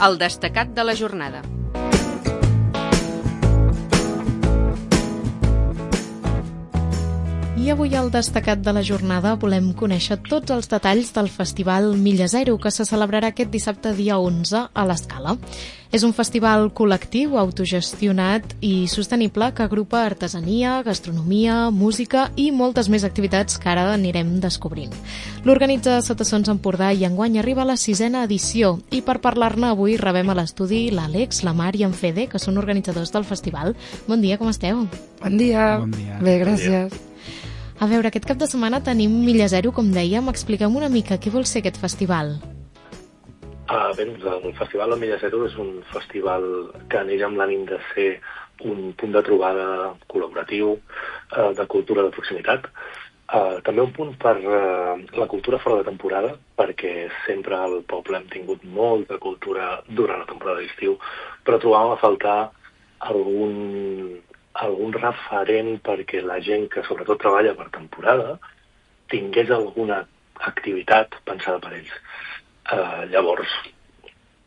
El destacat de la jornada. I avui al destacat de la jornada volem conèixer tots els detalls del Festival Milla Zero, que se celebrarà aquest dissabte dia 11 a l'Escala. És un festival col·lectiu, autogestionat i sostenible que agrupa artesania, gastronomia, música i moltes més activitats que ara anirem descobrint. L'organitza Sotassons Empordà i enguany arriba a la 6a edició i per parlar-ne avui rebem a l'estudi l'Àlex, la Mar i en Fede, que són organitzadors del festival. Bon dia, com esteu? Bon dia. Bon dia. Bé, gràcies. A veure, aquest cap de setmana tenim Milla Zero, com dèiem. Expliquem una mica què vol ser aquest festival. Bé, el Festival del Milla Zero és un festival que neix amb l'ànim de ser un punt de trobada col·laboratiu de cultura de proximitat. També un punt per la cultura fora de temporada, perquè sempre al poble hem tingut molta cultura durant la temporada d'estiu, però trobàvem a faltar algun referent perquè la gent que sobretot treballa per temporada tingués alguna activitat pensada per ells. Llavors,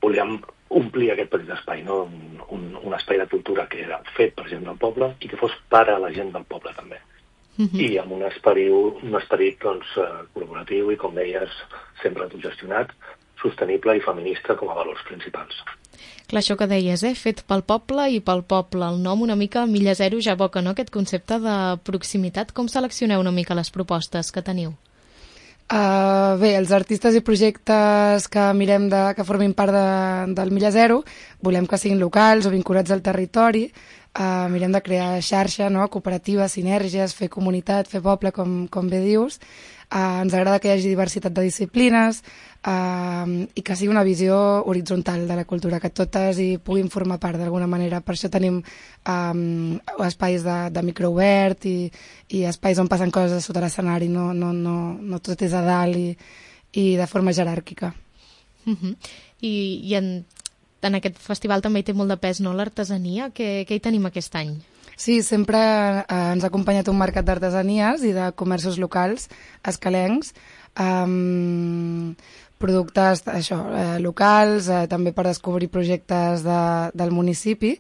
volíem omplir aquest petit espai, no? un espai de cultura que era fet per gent del poble i que fos per a la gent del poble també. I amb un esperit doncs, col·laboratiu i, com deies, sempre autogestionat, sostenible i feminista com a valors principals. Clar, això que deies, fet pel poble i pel poble. El nom una mica Milla Zero ja evoca, no?, aquest concepte de proximitat. Com seleccioneu una mica les propostes que teniu? Bé, els artistes i projectes que mirem que formin part del Milla Zero volem que siguin locals o vinculats al territori. Mirem de crear xarxa, no?, cooperativa, sinergies, fer comunitat, fer poble, com bé dius. Ens agrada que hi hagi diversitat de disciplines i que sigui una visió horitzontal de la cultura, que totes hi puguin formar part d'alguna manera. Per això tenim espais de microobert i espais on passen coses sota l'escenari, no tot és a dalt i de forma jeràrquica. I en aquest festival també hi té molt de pes, no?, l'artesania. Què hi tenim aquest any? Sí, sempre ens ha acompanyat un mercat d'artesanies i de comerços locals escalencs, productes locals, també per descobrir projectes del municipi.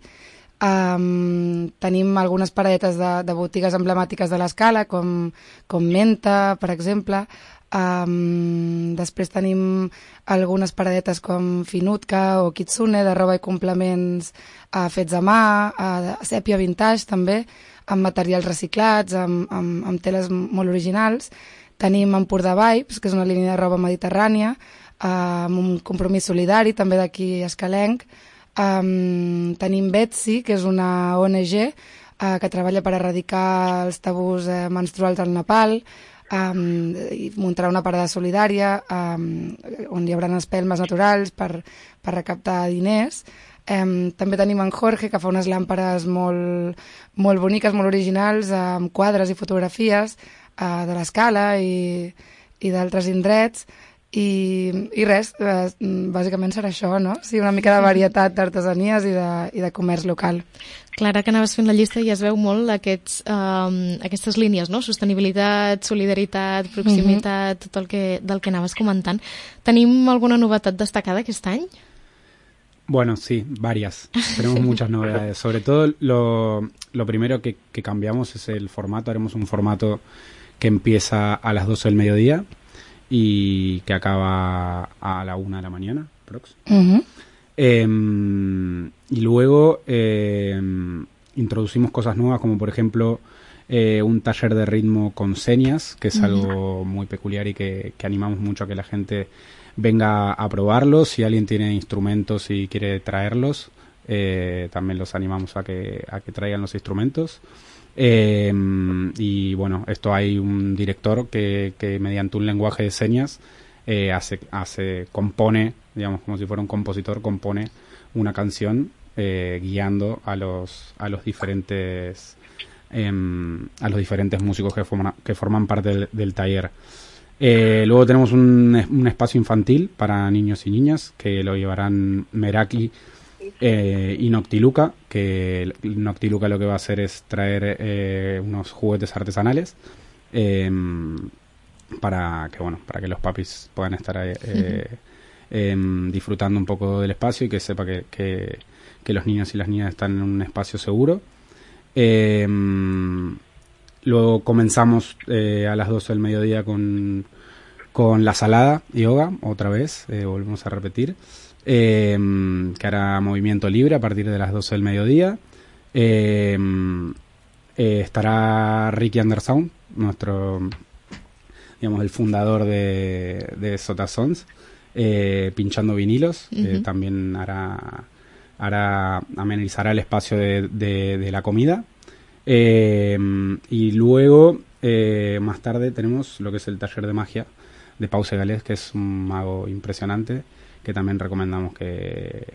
Tenim algunes paradetes de botigues emblemàtiques de l'Escala, com Menta, per exemple. Després tenim algunes paradetes com Finutka o Kitsune, de roba i complements fets a mà, sèpia vintage també, amb materials reciclats, amb teles molt originals. Tenim Empordà Vibes, que és una línia de roba mediterrània, amb un compromís solidari també d'aquí escalenc. Tenim Betsy, que és una ONG que treballa per erradicar els tabús menstruals al Nepal, i muntarà una parada solidària on hi haurà espelmes naturals per recaptar diners. També tenim en Jorge, que fa unes làmperes molt boniques, molt originals, amb quadres i fotografies de l'Escala i d'altres indrets. I res, bàsicament serà això, no? Sí, una mica de varietat d'artesanies i de comerç local. Clara, que anaves fent la llista i es veu molt aquestes línies, no? Sostenibilitat, solidaritat, proximitat, tot del que anaves comentant. Tenim alguna novetat destacada aquest any? Bueno, sí, varias. Tenemos muchas novedades. Sobre todo lo primero que cambiamos es el formato. Haremos un formato que empieza a las 12 del mediodía y que acaba a la 1 de la mañana, prox. Y luego introducimos cosas nuevas, como por ejemplo un taller de ritmo con señas, que es algo muy peculiar y que animamos mucho a que la gente venga a probarlos. Si alguien tiene instrumentos y quiere traerlos, también los animamos a que traigan los instrumentos. Y bueno, esto hay un director que mediante un lenguaje de señas compone, digamos, como si fuera un compositor, compone una canción guiando a los diferentes músicos que forman parte del taller. Luego tenemos un espacio infantil para niños y niñas que lo llevarán Meraki y Noctiluca, que Noctiluca lo que va a hacer es traer unos juguetes artesanales para que los papis puedan estar disfrutando un poco del espacio y que sepa que los niños y las niñas están en un espacio seguro. Luego comenzamos a las 12 del mediodía con la salada yoga, otra vez, volvemos a repetir, que hará movimiento libre a partir de las 12 del mediodía. Estará Ricky Anderson, el fundador de Sota Sons, pinchando vinilos. También amenizará el espacio de la comida. Y luego, más tarde, tenemos lo que es el taller de magia de Pau Segalés, que es un mago impresionante, que también recomendamos que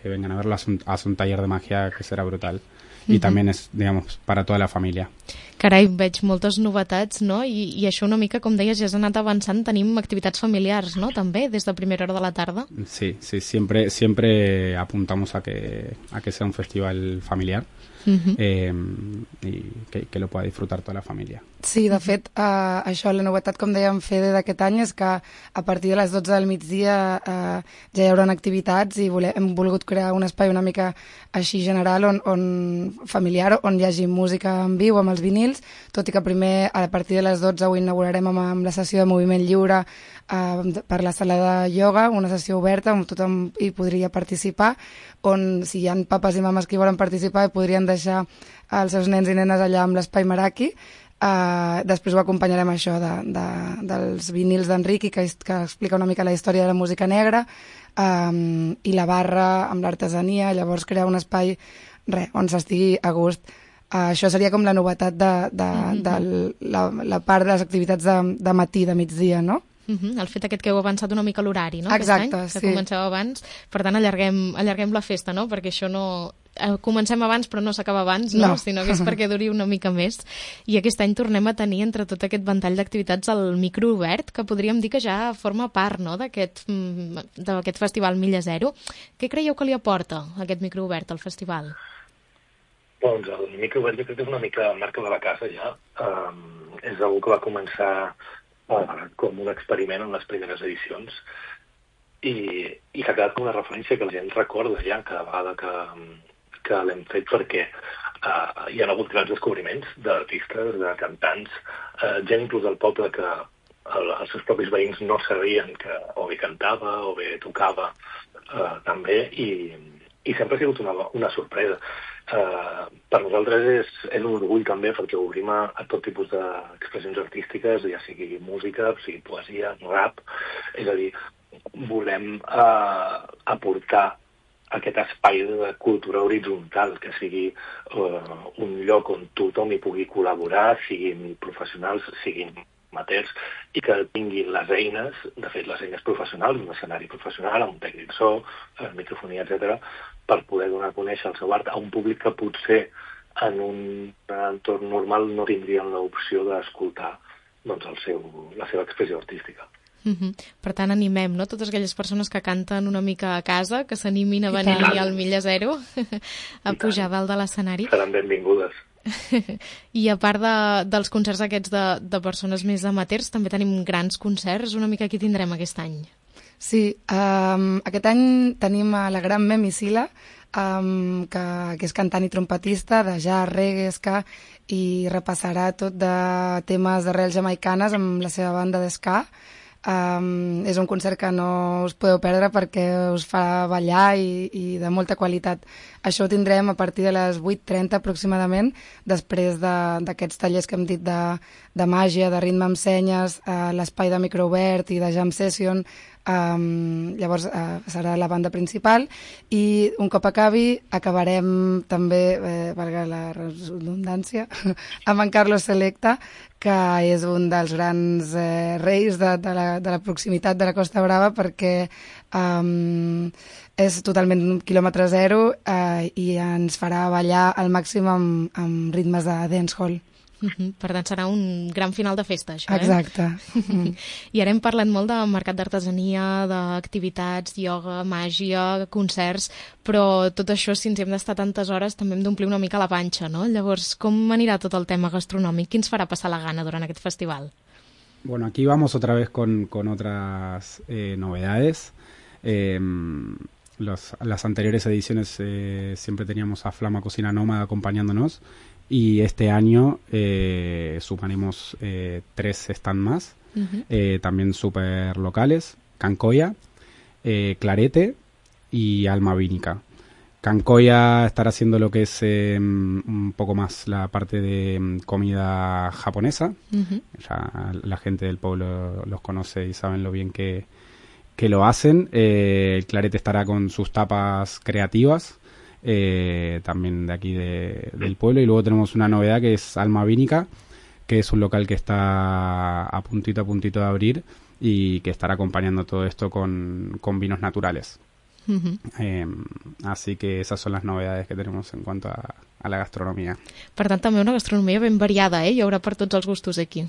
vengan a verlo. Hace un taller de magia que será brutal. I també és, per a tota la família. Carai, veig moltes novetats, no? I això una mica, com deies, ja has anat avançant, tenim activitats familiars, no? També, des de primera hora de la tarda. Sí, siempre apuntamos a que sea un festival familiar y que lo pueda disfrutar toda la familia. Sí, de fet, això, la novetat, com dèiem, Fede, d'aquest any és que a partir de les 12 del migdia ja hi haurà activitats i hem volgut crear un espai una mica així general, familiar, on hi hagi música en viu amb els vinils, tot i que primer, a partir de les 12, ho inaugurarem amb la sessió de moviment lliure per la sala de ioga, una sessió oberta on tothom hi podria participar, on si hi ha papes i mames que hi volen participar podrien deixar els seus nens i nenes allà amb l'espai Meraki. Després ho acompanyarem això dels vinils d'Enric, que explica una mica la història de la música negra, i la barra amb l'artesania, llavors crear un espai on s'estigui a gust. Això seria com la novetat de la part de les activitats de matí, de migdia, no? El fet aquest que heu avançat una mica l'horari, no? Exacte, aquest any, que comenceu abans, per tant allarguem la festa, no? Perquè això no... Comencem abans però no s'acaba abans, no? Sinó que és perquè duri una mica més. I aquest any tornem a tenir entre tot aquest ventall d'activitats el micro obert, que podríem dir que ja forma part, no?, d'aquest festival Milla Zero. Què creieu que li aporta aquest micro obert al festival? Doncs el micro obert jo crec que és una mica marca de la casa ja. És algú que va començar com un experiment en les primeres edicions i que ha quedat com una referència que la gent recorda ja cada vegada que l'hem fet, perquè hi ha hagut grans descobriments d'artistes, de cantants, gent inclús del poble que els seus propis veïns no sabien que o bé cantava o bé tocava també, i sempre ha sigut una sorpresa. Per nosaltres és un orgull també, perquè obrim a tot tipus d'expressions artístiques, ja sigui música, sigui poesia, rap, és a dir, volem aportar aquest espai de cultura horitzontal, que sigui un lloc on tothom hi pugui col·laborar, siguin professionals, siguin amateurs, i que tinguin les eines, de fet les eines professionals, un escenari professional, un tècnic so, microfonia, etc., per poder donar a conèixer el seu art a un públic que potser en un entorn normal no tindrien l'opció d'escoltar la seva expressió artística. Per tant, animem, no?, totes aquelles persones que canten una mica a casa, que s'animin a venir al Milla Zero a pujar dalt de l'escenari. Seran benvingudes. I a part dels concerts aquests de persones més amateurs, també tenim grans concerts. Una mica qui tindrem aquest any? Sí, aquest any tenim a la gran Memi Sila, que és cantant i trompetista de jazz, reggae, ska, i repassarà tot de temes d'arrels jamaicanes amb la seva banda d'ska. És un concert que no us podeu perdre perquè us fa ballar i de molta qualitat. Això ho tindrem a partir de les 8:30 aproximadament, després d'aquests tallers que hem dit de màgia, de ritme amb senyes, l'espai de microobert i de jam session. Llavors serà la banda principal, i un cop acabarem també, valga la redundància, amb en Carlos Selecta, que és un dels grans reis de la proximitat de la Costa Brava, perquè és totalment quilòmetre zero i ens farà ballar al màxim amb ritmes de dancehall. Per tant, serà un gran final de festa, això, Exacte. I ara hem parlat molt de mercat d'artesania, d'activitats, ioga, màgia, concerts, però tot això, si ens hem d'estar tantes hores, també hem d'omplir una mica la panxa, no? Llavors, com anirà tot el tema gastronòmic? Qui ens farà passar la gana durant aquest festival? Bueno, aquí vamos otra vez con otras novedades. Las anteriores ediciones siempre teníamos a Flama Cocina Nómada acompañándonos, y este año sumaremos 3 stand más, también súper locales: Cancoya, Clarete y Alma Vínica. Cancoya estará haciendo lo que es un poco más la parte de comida japonesa. Ya la gente del pueblo los conoce y saben lo bien que lo hacen. El Clarete estará con sus tapas creativas, también de aquí del pueblo. Y luego tenemos una novedad que es Alma Vínica, que es un local que está a puntito de abrir y que estará acompañando todo esto con vinos naturales. Así que esas son las novedades que tenemos en cuanto a la gastronomia. Per tant, també una gastronomia ben variada, Hi haurà per tots els gustos aquí.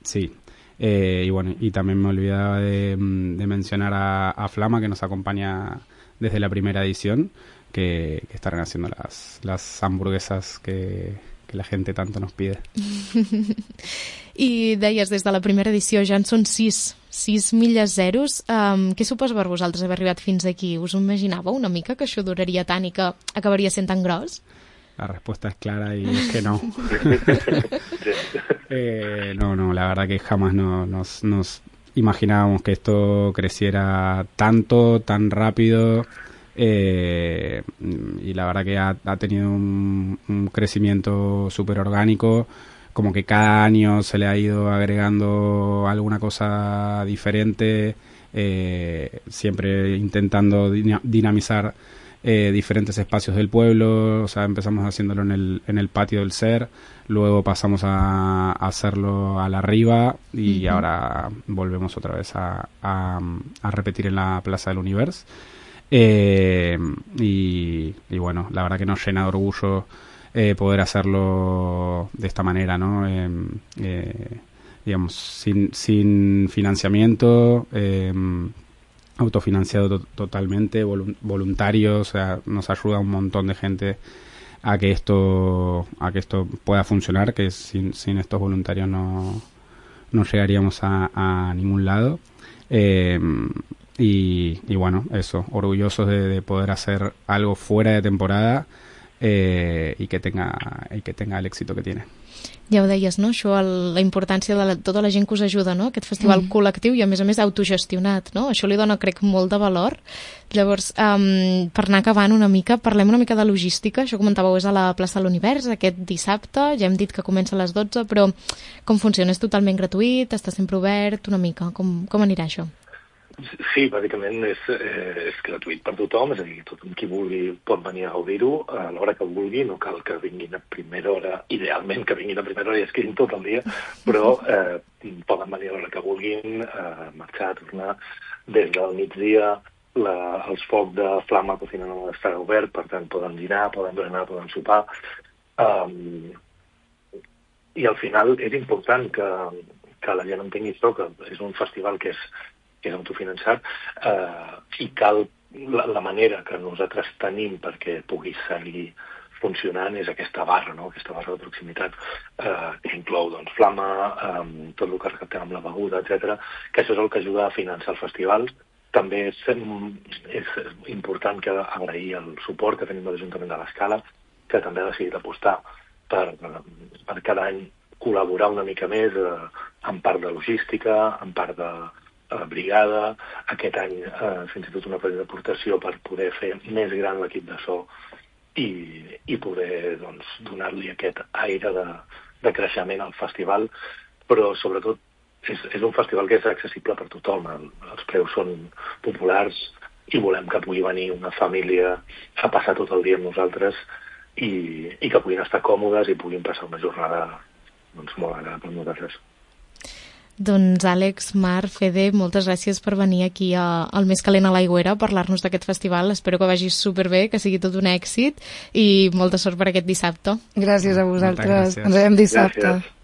Sí. Y bueno, y también me olvidaba de mencionar a Flama, que nos acompaña desde la primera edición, que estarán haciendo las hamburguesas que la gente tanto nos pide. I deies, des de la primera edició ja en són 6 milles zeros. Què suposa per vosaltres haver arribat fins aquí? Us ho imaginàveu una mica que això duraria tant i que acabaria sent tan gros? La respuesta es clara y es que no. No, la verdad que jamás nos imaginábamos que esto creciera tanto, tan rápido. Y la verdad que ha tenido un crecimiento súper orgánico, como que cada año se le ha ido agregando alguna cosa diferente, siempre intentando dinamizar diferentes espacios del pueblo. O sea, empezamos haciéndolo en el patio del SER, luego pasamos a hacerlo a la Riva y ahora volvemos otra vez a repetir en la Plaza del Universo. Y bueno, la verdad que nos llena de orgullo poder hacerlo de esta manera, ¿no? Digamos, sin financiamiento, autofinanciado totalmente, voluntario. O sea, nos ayuda un montón de gente a que esto pueda funcionar, que sin estos voluntarios no llegaríamos a ningún lado. Y bueno, eso, orgullosos de poder hacer algo fuera de temporada y que tenga el éxito que tiene. Ja ho deies, no? Això, la importància de tota la gent que us ajuda, no? Aquest festival col·lectiu i a més autogestionat, no? Això li dona, crec, molt de valor. Llavors, per anar acabant una mica, parlem una mica de logística. Això comentàveu, és a la plaça de l'Univers aquest dissabte, ja hem dit que comença a les 12, però com funciona? És totalment gratuït? Està sempre obert? Una mica, com anirà això? Sí, bàsicament és gratuït per tothom, és a dir, tothom qui vulgui pot venir a gaudir-ho a l'hora que vulgui, no cal que vinguin a primera hora, idealment que vinguin a primera hora i es quedin tot el dia, però poden venir a l'hora que vulguin, marxar, tornar. Des del migdia els focs de Flama Cocina no estarà obert, per tant poden dinar, poden berenar, poden sopar. I al final és important que la gent entengui això, que és un festival que és autofinançat, i cal la manera que nosaltres tenim perquè pugui seguir funcionant és aquesta barra, no? Aquesta barra de proximitat que inclou Flama, tot el que recaptem amb la beguda, etc. Que això és el que ajuda a finançar el festival. També és important que agrair el suport que tenim de l'Ajuntament de l'Escala, que també ha decidit apostar per cada any col·laborar una mica més en part de logística, en part de brigada. Aquest any fins i tot una petita aportació per poder fer més gran l'equip de so i poder donar-li aquest aire de creixement al festival, però sobretot és un festival que és accessible per tothom. Els preus són populars i volem que pugui venir una família a passar tot el dia amb nosaltres i que puguin estar còmodes i puguin passar una jornada molt agradable amb nosaltres. Doncs Àlex, Mar, Fede, moltes gràcies per venir aquí al Més Calent a l'Aigüera a parlar-nos d'aquest festival. Espero que vagi superbé, que sigui tot un èxit i molta sort per aquest dissabte. Gràcies a vosaltres. Ens veiem dissabte. Gràcies.